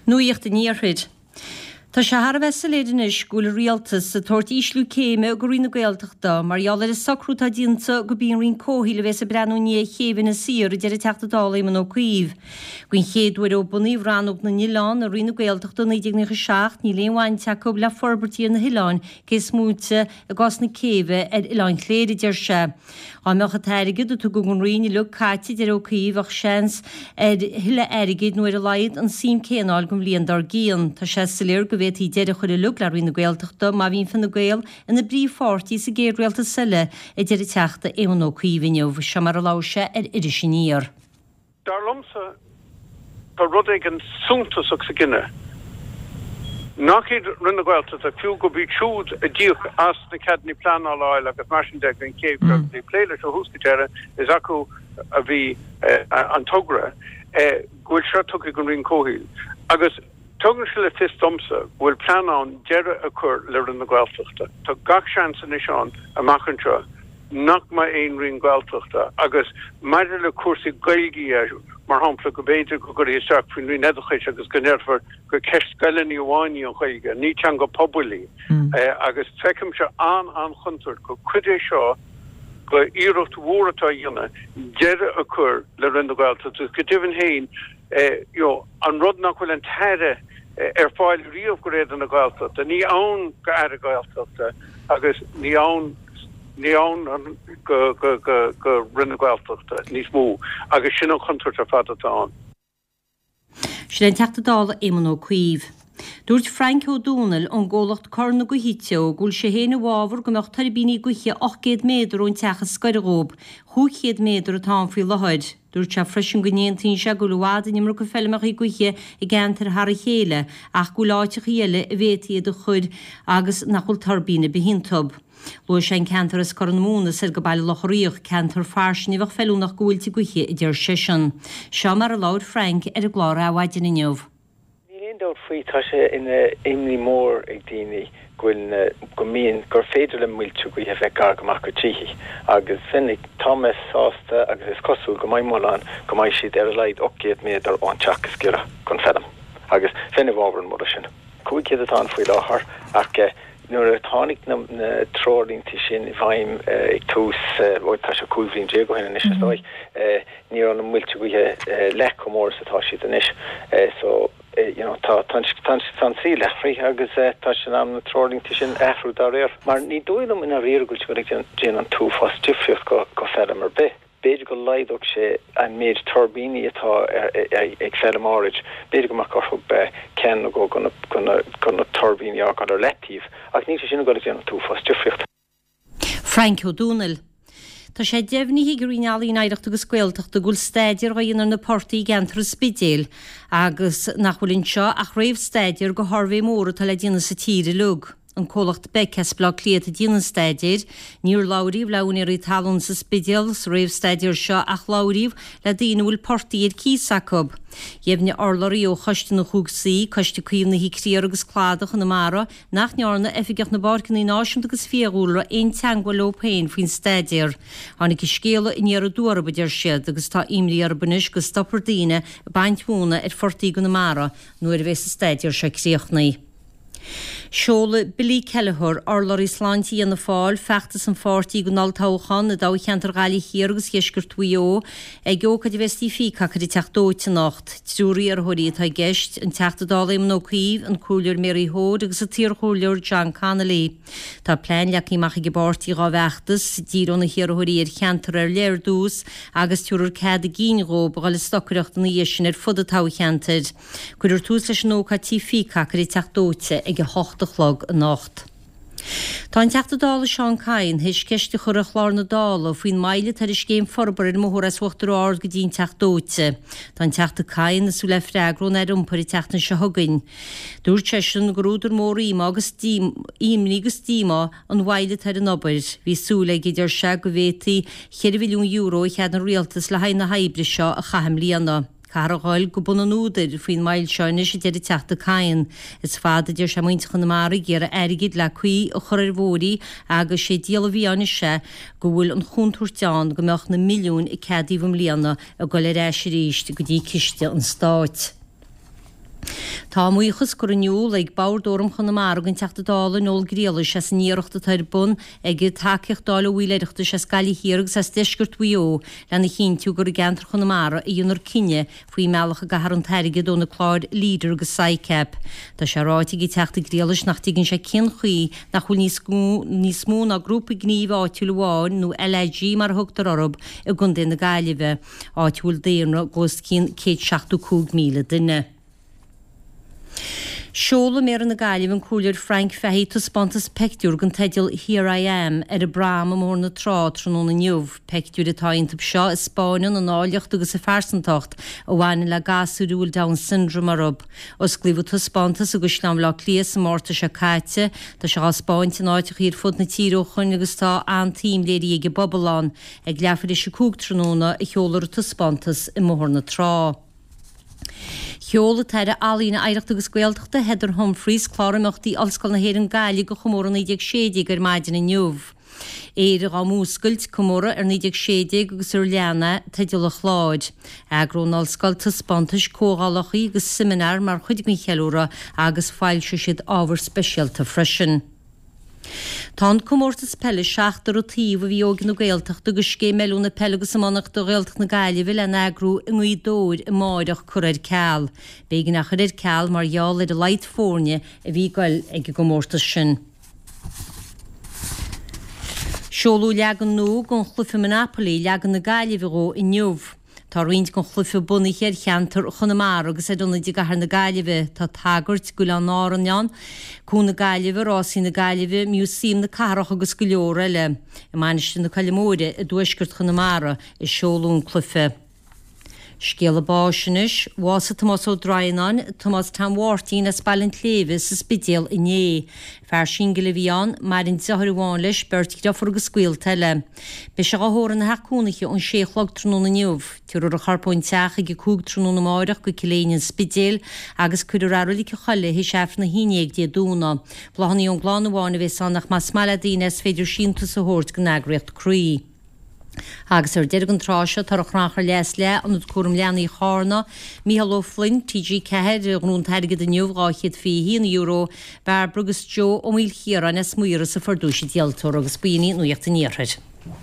Nuacht an Iarthair. Tá sé thar a bheith soiléir anois go bhfuil an Rialtas ag tabhairt ísliú céime go Roinn na Gaeltachta mar gheall ar an socrú atá déanta gurb í an Roinn Comhshaoil a bhéas ag breathnú i ndiaidh chéibh Inis Oírr, a deir an Teachta Dála Éamon Ó Cuív. Den chéad uair ó bunaíodh Rannóg na nOileán i Roinn na Gaeltachta i 1997 níl aon bhaint acu le forbairtí ar na hoileáin cé is móite i gcás na céibhe ar Oileán Chléire, a deir sé. Dá mbeadh an t-airgead a tugadh don Roinn uilig caite, a deir Ó Cuív, bheadh seans ar thuilleadh airgid nó ar a laghad an suim céanna a fháil don bhliain dár gcíonn. Tá sé soiléir go bhféadfaí deireadh a chur uilig le Roinn na Gaeltachta má bhíonn Fine Gael ina bpríomhpháirtí sa gcéad rialtas eile, a deir an Teachta Éamon Ó Cuív inniu. Seo mar a labhair sé ar Iris Aniar. Dar liomsa, tá rud éigin suntasach sa gcinneadh nach iad Roinn na Gaeltachta, fiú gurb iad siúd a d'íoc as na ceadanna pleanála a fháil agus mar sin de don chéibh seo, agus ag plé leis ó thús go deireadh, is acu a bhí an togra, go bhfuil seo tugtha ag an Roinn Comhshaoil. Agus tugann sé le fios domsa go bhfuil plean ann deireadh a chur le Roinn na Gaeltachta. Tá gach seans anois ann amach anseo nach mbeidh aon Roinn Gaeltachta agus maidir le cúrsaí Gaeilge dhe, mar shampla, go mb'fhéidir go gcuirfí isteach faoin Roinn Oideachais agus go ndéarfar gur ceist scoileanna amháin í an Ghaeilge, ní teanga pobail í. Agus feicimse an-an-chontúirt gur cuid é seo de iarracht mhór atá á dhéanamh deireadh a chur le Roinn na Gaeltachta agus go deimhin féin, you know, an rud nach bhfuil an tAire ar fáil riamh go réidh do na Gaeltachta, ní ann go Aire Gaeltachta agus ní ann ní ann go go go go Roinn na Gaeltachta níos mó agus sin an chontúirt ar fad atá ann. Sin é an Teachta Dála Éamon Ó Cuív. Dúirt Frainc Ó Dónaill ón gcomhlacht Cor na Gaoithe Teo go bhfuil sé féin i bhfabhar go mbeadh tuirbíní gaoithe 800 méadar ón teach is gaire dhób, 500 méadar atá ann faoi láthair. Dúirt sé freisin go n-aontaíonn sé go bhfuil i bhfad an iomarca feilmeacha gaoithe i gceantair thar a chéile ach go bhfuil áiteachaí eile a bhféadfaí iad a chur agus nach bhfuil tuirbín ar bith iontub. Luaigh sé an ceantar as Corr na Móna soir go Baile Locha Riach, ceantar fairsing a bheadh feiliúnach go mhuilte gaoithe, a deir seisean. Seo mar a labhair Frank ar an gclár Adhmhaidin inniu. Níl aon dabht faoi, tá sé ina imní mór ag daoine go bhfuil na, go mbíonn, gur féidir le muilte gaoithe bheith gar go maith go tithe agus bheinn ag, tá mé sásta agus is cosúil go mbeidh moladh ann go mbeidh siad ar a laghad 800 méadar ón teach is giorra don feilm agus bheinn i bhfabhar an mholadh sin. 500 atá ann faoi láthair ach nuair a tháinig na treoirlínte sin i bhfeidhm ag tús, bhuel tá sé 15 bhliain ó shin anois is dóigh, Ní raibh na muilte gaoithe leath chomh mór is atá siad anois. So, you know, tá, tá, tá an saol athraithe agus tá sé in am na treoirlínte sin a athrú dá réir. Mar ní dóigh liom i ndáiríre go bhfuil sé ag déanamh an t-uafás difríocht go, go feilm ar bith. B'fhéidir go laghdódh sé an méid tuirbíní atá ag feilm áirid, b'fhéidir go mbeadh orthu ceann nó dhó go na, go na, go na tuirbíní a fhágáil ar leataobh ach níl sé sin ag dul ag déanamh an t-uafás difríocht. Frainc Ó Dónaill. Tá sé deimhnithe ag an Roinn Ealaíon, Oidhreachta agus Gaeltachta go bhfuil staidéar á dhéanamh ar na portaigh i gceantar an Spidéil agus nach bhfuil anseo ach réamhstaidéar go shuirbhé mór atá le déanamh sa tír uilig. An comhlacht Becc as Baile Átha Cliath atá ag déanamh an staidéir. Níor labhraíodh le úinéirí talún sa Spidéal sa réamhstaidéar seo ach labhraíodh le daoine a bhfuil portaigh ar cíos acu. Dheimhnigh urlabhraí ó Choiste na gCúig Saoi, Coiste Caomhnaithe Criathar agus Cladach Chonamara, nach ndearna Oifigeach na bPáirceanna Náisiúnta agus Fiadhúlra aon teagmháil leo féin faoin staidéar. Tháinig an scéala aniar aduaidh orthu, a deir siad, agus tá imní orthu anois go stopfar daoine ag baint mhóna ar phortaigh i gConamara nuair a bheas an staidéar seo críochnaithe. Seolfaidh Billy Kelleher, urlabhraí sláinte Fhianna Fáil, feachtas an pháirtí don olltoghchán i dtoghcheantar Ghaillimh Thiar agus Dheisceart Mhaigh Eo ag ócáid a bheas i dTigh Peacock ar an Teach Dóite anocht. Triúr iarrthóirí atá i gceist, an Teachta Dála Éamon Ó Cuív, an Comhairleoir Mary Hoade agus an t-iarchomhairleoir John Connolly. Tá plean leagtha amach ag an bpáirtí dhá bhfeachtas, díreoidh na hiarrthóirí ar cheantar ar leith ar dtús agus tabharfar cead a gcinn dhóibh a dhul ag stocaireacht ina dhiaidh sin ar fud an toghcheantair. Cuirfear tús leis an ócáid Tigh Pheacock ar an Teach Dóite ag 8 a chlog anocht. Tá an Teachta Dála Seán Kyne théis ceist a chur ar chlár na Dála faoin moill atá ar an scéim forbartha ar an mbóthar as Uachtar Ard go dtí an Teach Dóite. Tá an Teachta Kyne ag súil le freagra ón Aire Iompair an tseachtain seo chugainn. Dúirt seisean gur údar mór íomá agus imní agus díomá an mhoill atá ar an obair. Bhí súil aige, a deir sé, go bhféadfaí €4 mhilliún a cheadaigh an Rialtas le haghaidh na hoibre seo a chaitheamh i mbliana. Caithfear a dhul go bun an údair faoin moill seo anois, a deir an Teachta Kyne. Is fada, a deir sé, muintir Chonamara ag iarraidh airgid le caoi a chur ar bhóithrí agus sé diabhal a mhí-ádh anois é go bhfuil an chontúirt ann go mbeadh na milliúin a ceadaíodh i mbliana ag dul ar ais arís go dtí ciste an stáit. Tá a mbuíochas curtha in iúl ag Bord Fhóram Chonamara don Teachta Dála Noel Griallais as an iarracht atá ar bun aige tacaíocht a fháil ó bhaill Oireachtais as Gaillimh Thiar agus as deisceart Mhaigh Eo lena chinntiú gur i gceantar Chonamara a dhéanfar cinneadh faoin mbealach a gcaithfear an t-airgead ó na cláir Leader agus SICAP. Tá sé ráite ag an Teachta Griallais nach dtuigeann sé cén chaoi nach bhfuil níos níos mó ná grúpa gnímh áitiúil amháin nó LAG mar a thugtar orthu i gContae na Gaillimhe. áit a bhfuil daonra de os cionn 175,000 duine. Seolfaidh Méara na Gaillimhe an Comhairleoir Frank Fahey taispeántas peictiúr den teideal 'Here I Am' ar an bprom i mBóthar na Trá tráthnóna inniu. Peictiúir atá iontu seo a 'spáineann an áilleacht agus a phearsantacht a bhaineann le gasúir a bhfuil Down Syndrome orthu. Osclaíodh an taispeántas i gCaisleán Bhaile Átha Cliath sa Márta seo caite. Tá sé á 'spáint in áiteachaí ar fud na tíre ó shoin agus tá an-tsuim léirithe ag an bpobal ann. Ag leathuair théis a 5 tráthnóna a sheolfar an taispeántas i mBóthar na Trá. Sheol an tAire Ealaíne, Oidhreachta agus Gaeltachta, Heather Humphreys, clár imeachtaí Ollscoil na hÉireann Gaillimh do chomóradh 1916 ar maidin inniu. Éire dhá Múscailt, Comóradh ar 1916 agus ar lean é, teideal an chláir. Eagróidh an Ollscoil taispeántais, comhdhálacha agus seimineáir mar chuid den cheiliúradh agus foilseoidh siad ábhar speisialta freisin. Tá an comórtas peile seachtar an taobh a bhí Óige na Gaeltachta agus Scéim Oiliúna Peile agus Iománaíochta Ghaeltacht na Gaillimhe le n-eagrú i nGaoth Dobhair amáireach curtha ar ceal. B'éigean é a chur ar ceal mar gheall ar a laghad foirne a bhí ag goil ag an gcomórtas sin. Seoladh leagan nua den chluiche Monopoly, leagan na Gaillimhe dhó, inniu. Tá roinnt den chluiche bunaithe ar cheantar Chonamara agus ar ionaid i gcathair na Gaillimhe. Tá tagairt d'Oileáin Árann ann, Cuan na Gaillimhe, Rásaí na Gaillimhe, Músaem na Cathrach agus go leor eile. I Mainistir na Coille Móire i dtuaisceart Chonamara a seoladh an cluiche. Scéala báis anois. Bhásaigh Tomás Ó Droighneáin, Tomás Tom Mháirtín as Baile an tSléibhe sa Spidéal inné. Fear singil a bhí ann, maireann deartháir amháin leis, beirt dhriofúr agus gaolta eile. Beidh sé dhá thórramh ina theach cónaithe ón sé a chlog tráthnóna inniu. Tabharfar a chorp ón teach ag a 5 tráthnóna amáireach go Cill Éinne an Spidéil agus cuirfear é i Roilig an Choilligh théis Aifreann a haon dhéag Dé Domhnaigh. Bláthanna ón gclann amháin a bhéas ann ach más maith le daoine is féidir síntiús a thabhairt don eagraíocht Croí. Agus ar deireadh an tráth seo, tá ar chrannchur leath is leath, Ionad Cúram Leanaí Charna, Mícheál Ó Floinn, TG4, a ghnóthaigh an t-airgead inniu, €221, Barbara agus Joe Ó Maoilchiaráin as Maoras a fuair duais an díoltóra agus b'in í Nuacht an Iarthair.